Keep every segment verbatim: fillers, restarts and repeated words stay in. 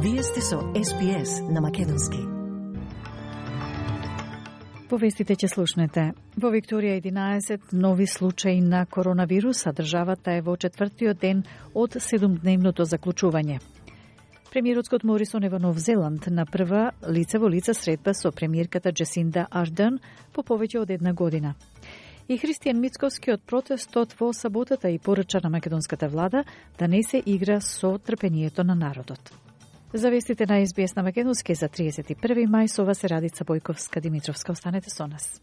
Вие сте со Ес Би Ес на македонски. По вестите ќе слушнете. Во Викторија единаесет нови случаи на коронавирус, а државата е во четвртиот ден од седумдневното заклучување. Премиерот Скот Морисон е во Нов Зеланд на прва лице во лице средба со премиерката Джесинда Ардерн по повеќе од една година. И Христијан Мицковски од протестот во саботата и порача на македонската влада да не се игра со трпението на народот. За вестите на Ес Би Ес на македонски за триесет и први мај, со вас е Радица Бојковска-Димитровска. Останете со нас.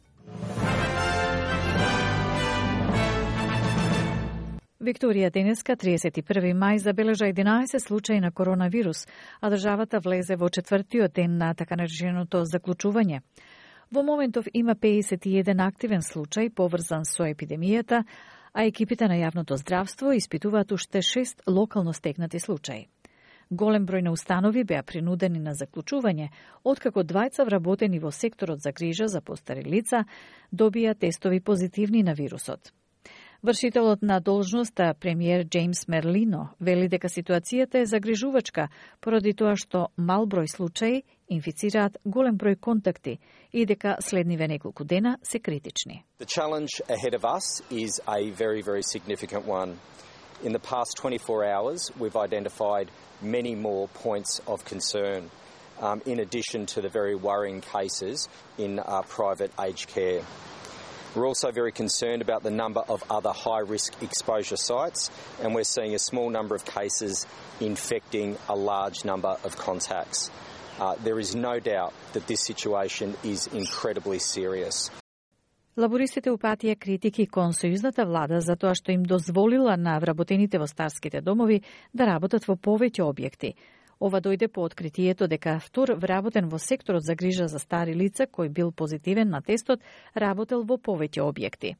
Викторија денеска, триесет и први мај, забележа единаесет случаи на коронавирус, а државата влезе во четвртиот ден на така нареченото заклучување. Во моментов има педесет и еден активен случај поврзан со епидемијата, а екипите на јавното здравство испитуваат уште шест локално стекнати случаи. Голем број на установи беа принудени на заклучување, откако двајца вработени во секторот за грижа за постари лица добија тестови позитивни на вирусот. Вршителот на должноста, премиер Джеймс Мерлино, вели дека ситуацијата е загрижувачка поради тоа што мал број случаи инфицираат голем број контакти и дека следниве неколку дена се критични. The challenge ahead of us is a very, very significant one. In the past twenty-four hours, we've identified many more points of concern, um, in addition to the very worrying cases in uh, private aged care. We're also very concerned about the number of other high-risk exposure sites, and we're seeing a small number of cases infecting a large number of contacts. Uh, there is no doubt that this situation is incredibly serious. Лабористите упатија критики кон сојузната влада за тоа што им дозволила на вработените во старските домови да работат во повеќе објекти. Ова дојде по откритието дека втор вработен во секторот за грижа за стари лица кој бил позитивен на тестот работел во повеќе објекти.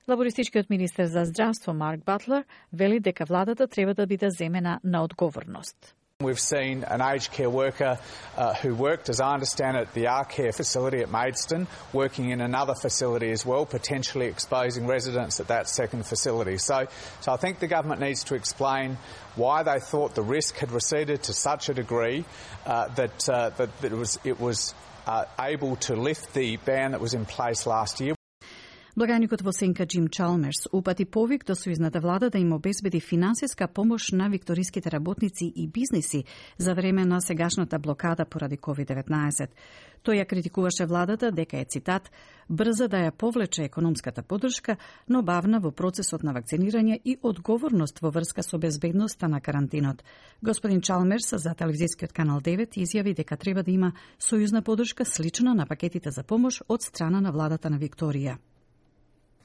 Лабористичкиот министер за здравство Марк Батлер вели дека владата треба да биде земена на одговорност. We've seen an aged care worker uh, who worked, as I understand it, the R Care facility at Maidstone, working in another facility as well, potentially exposing residents at that second facility. So, so I think the government needs to explain why they thought the risk had receded to such a degree uh, that, uh, that, that it was, it was uh, able to lift the ban that was in place last year. Благаникот во Сенка Джим Чалмерс упати повик до сојузната влада да им обезбеди финансиска помош на викториските работници и бизниси за време на сегашната блокада поради ковид деветнаесет. Тој ја критикуваше владата дека е, цитат, брза да ја повлече економската поддршка, но бавна во процесот на вакцинирање и одговорност во врска со безбедноста на карантинот. Господин Чалмерс за телевизискиот канал девет изјави дека треба да има сојузна поддршка слична на пакетите за помош од страна на владата на Викторија.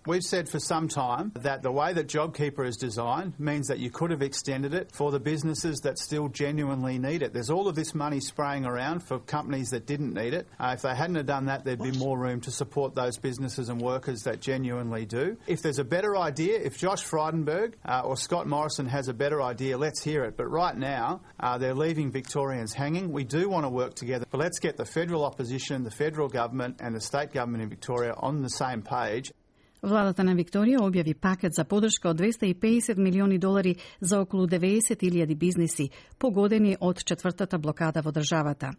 We've said for some time that the way that JobKeeper is designed means that you could have extended it for the businesses that still genuinely need it. There's all of this money spraying around for companies that didn't need it. Uh, if they hadn't have done that, there'd be more room to support those businesses and workers that genuinely do. If there's a better idea, if Josh Frydenberg uh, or Scott Morrison has a better idea, let's hear it. But right now, uh, they're leaving Victorians hanging. We do want to work together, but let's get the federal opposition, the federal government and the state government in Victoria on the same page. Владата на Викторија објави пакет за поддршка од двесте и педесет милиони долари за околу деветдесет илјади бизниси, погодени од четвртата блокада во државата.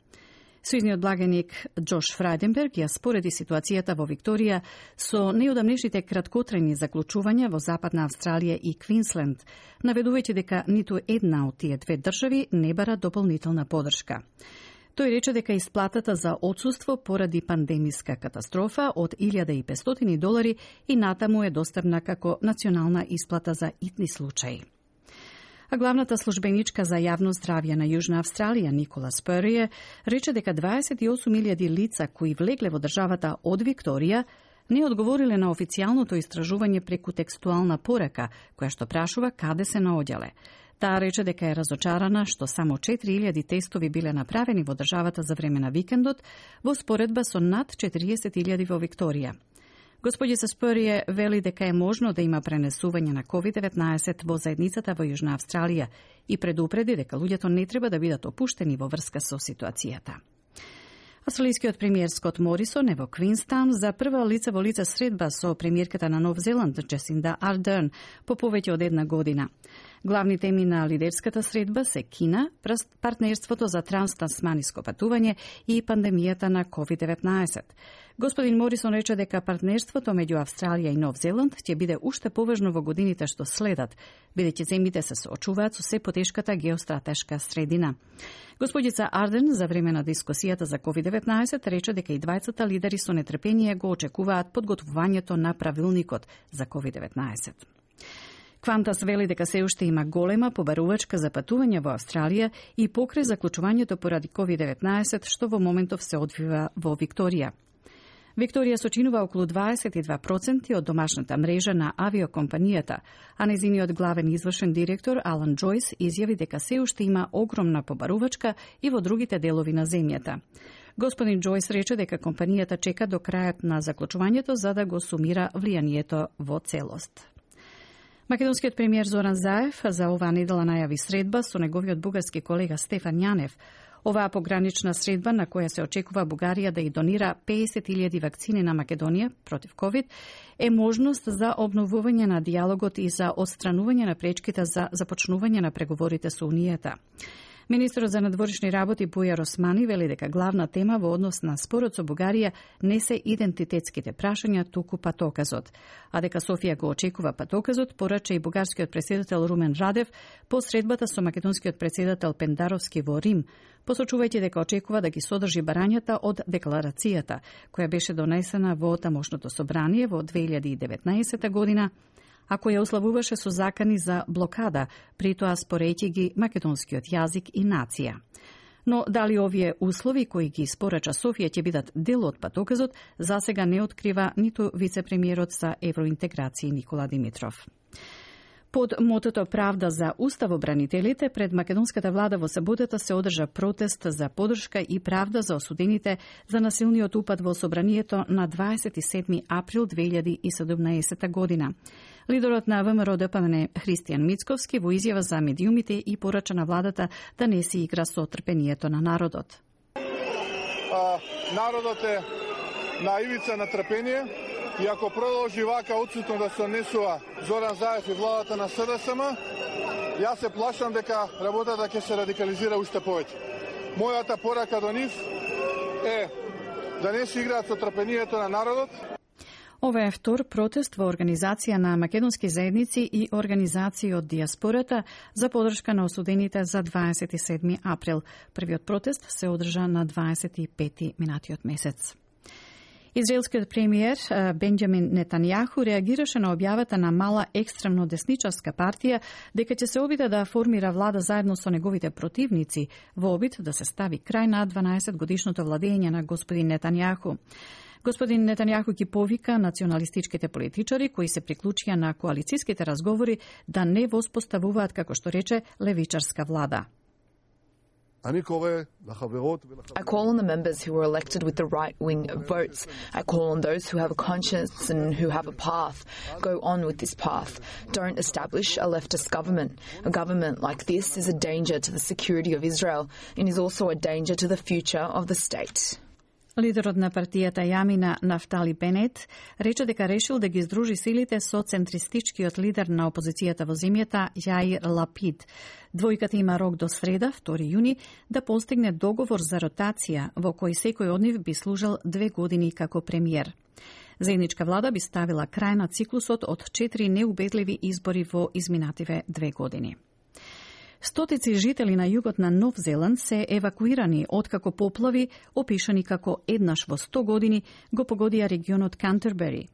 Сојузниот благаник Джош Фрајденберг ја спореди ситуацијата во Викторија со неодамнешните краткотрајни заклучувања во Западна Австралија и Квинсленд, наведувајќи дека ниту една од тие две држави не бара дополнителна поддршка. Тој рече дека исплатата за отсуство поради пандемиска катастрофа од илјада и петстотини долари и натаму е достапна како национална исплата за итни случаи. А главната службеничка за јавно здравје на Јужна Австралија, Никола Сприе, рече дека дваесет и осум илјади лица кои влегле во државата од Викторија не одговориле на официјалното истражување преку текстуална порака, која што прашува каде се наоѓале. Таа рече дека е разочарана што само четири илјади тестови биле направени во државата за време на викендот, во споредба со над четириесет илјади во Викторија. Господица Сприе вели дека е можно да има пренесување на ковид деветнаесет во заедницата во Јужна Австралија и предупреди дека луѓето не треба да бидат опуштени во врска со ситуацијата. Австралискиот премиер Скот Морисон е во Квинстаун за прва лице во лице средба со премиерката на Нов Зеланд Джесинда Ардерн по повеќе од една година. Главни теми на лидерската средба се Кина, партнерството за транстасманиско патување и пандемијата на ковид деветнаесет. Господин Морисон рече дека партнерството меѓу Австралија и Нов Зеланд ќе биде уште поважно во годините што следат, бидејќи земјите се соочуваат со се потешката геостратешка средина. Господица Арден за време на дискусијата за ковид деветнаесет рече дека и двајцата лидери со нетрпение го очекуваат подготвувањето на правилникот за ковид деветнаесет. Квантас вели дека се уште има голема побарувачка за патување во Австралија и покрај заклучувањето поради ковид деветнаесет што во моментов се одвива во Викторија. Викторија сочинува околу дваесет и два проценти од домашната мрежа на авиокомпанијата, а нејзиниот главен извршен директор Алан Џојс изјави дека се уште има огромна побарувачка и во другите делови на земјата. Господин Џојс рече дека компанијата чека до крајот на заклучувањето за да го сумира влијанието во целост. Македонскиот премиер Зоран Заев за оваа недела најави средба со неговиот бугарски колега Стефан Јанев. Оваа погранична средба на која се очекува Бугарија да ја донира песет илјади вакцини на Македонија против ковид е можност за обновување на диалогот и за отстранување на пречките за започнување на преговорите со Унијата. Министерот за надворешни работи Бујар Османи вели дека главна тема во однос на спорот со Бугарија не се идентитетските прашања, туку патоказот. А дека Софија го очекува патоказот, порача и бугарскиот претседател Румен Радев по средбата со македонскиот претседател Пендаровски во Рим, посочувајќи дека очекува да ги содржи барањата од декларацијата, која беше донесена во тамошното собрание во две илјади и деветнаесета година, а која уславуваше со закани за блокада, при тоа спорејќи ги македонскиот јазик и нација. Но дали овие услови кои ги испорача Софија ќе бидат дел од патоказот, засега не открива ниту вице-премиерот за евроинтеграција Никола Димитров. Под мотото Правда за уставобранителите, пред македонската влада во саботата се одржа протест за поддршка и правда за осудените за насилниот упад во собранието на дваесет и седми април две илјади и седумнаесета година. Лидерот на ВМРО Д П М Н Христијан Мицковски во изјава за медиумите и порача на владата да не се игра со трпението на народот. А, народот е на ивица на трпение и ако продолжи вака отсутно да се однесува Зоран Заев и владата на С Д С М, јас се плашам дека работата ќе се радикализира уште повеќе. Мојата порака до нив е да не се играат со трпението на народот. Ова е втор протест во организација на македонски заедници и организации од диаспората за поддршка на осудените за дваесет и седми април. Првиот протест се одржа на дваесет и пети минатиот месец. Израелскиот премиер Бенџамин Нетањаху реагираше на објавата на мала екстремно десничарска партија дека ќе се обиде да формира влада заедно со неговите противници во обид да се стави крај на дванаесет годишното владење на господин Нетањаху. Господин Нетањаху ги повика националистичките политичари кои се приклучија на коалициските разговори да не воспоставуваат, како што рече, левичарска влада. I call on the members who were elected with the right-wing votes. I call on those who have a conscience and who have a path. Go on with this path. Don't establish a leftist government. A government like this is a danger to the security of Israel and is also a danger to the future of the state. Лидерот на партијата Јамина Нафтали Бенет рече дека решил да ги издружи силите со центристичкиот лидер на опозицијата во земјата Јаир Лапид. Двојката има рок до среда, втори јуни, да постигне договор за ротација во кој секој од нив би служел две години како премиер. Заедничка влада би ставила крај на циклусот од четири неубедливи избори во изминативе две години. Стотици жители на југот на Нов Зеланд се евакуирани откако поплави, опишани како еднаш во сто години, го погодија регионот Кантербери.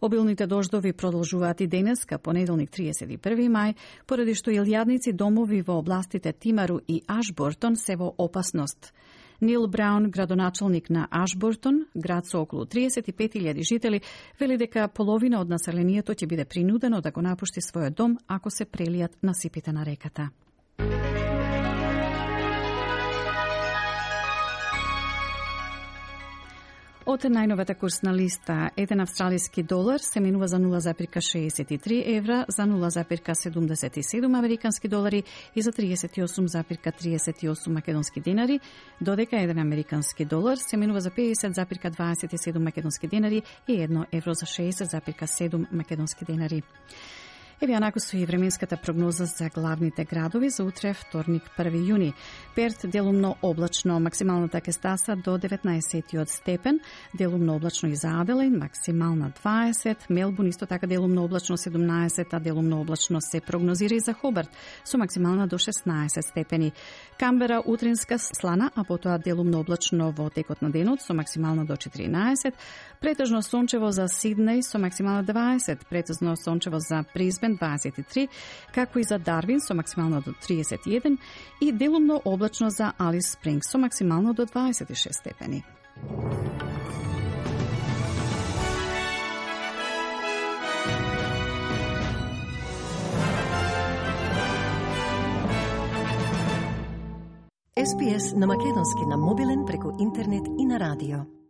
Обилните дождови продолжуваат и денеска, понеделник триесет и први мај, поради што илјадници домови во областите Тимару и Ашбортон се во опасност. Нил Браун, градоначалник на Ашбортон, град со околу триесет и пет илјади жители, вели дека половина од населението ќе биде принудено да го напушти својот дом ако се прелијат насипите на реката. Од најновата курсна листа, еден австралиски долар се менува за нула запирка шеесет и три евра, за нула запирка седумдесет и седум американски долари и за триесет и осум запирка триесет и осум македонски денари, додека еден американски долар се менува за педесет запирка дваесет и седум македонски денари и едно евро за шеесет запирка седум македонски денари. Еве онако со и временската прогноза за главните градови за утре, вторник, први јуни. Перт делумно облачно, максималната ќе стаса до деветнаесет степен, делумно облачно и за Аделаид, максимална дваесет, Мелбурн исто така делумно облачно седумнаесет, а делумно облачно се прогнозира и за Хобарт со максимална до шеснаесет степени. Камбера утринска слана, а потоа делумно облачно во текот на денот со максимална до четиринаесет, претежно сончево за Сиднеј со максимална дваесет, претежно сончево за Брисбен дваесет и три, како и за Дарвин со максимално до триесет и еден и делумно облачно за Алис Спрингс со максимално до дваесет и шест степени. Ес Би Ес на македонски на мобилен преку интернет и на радио.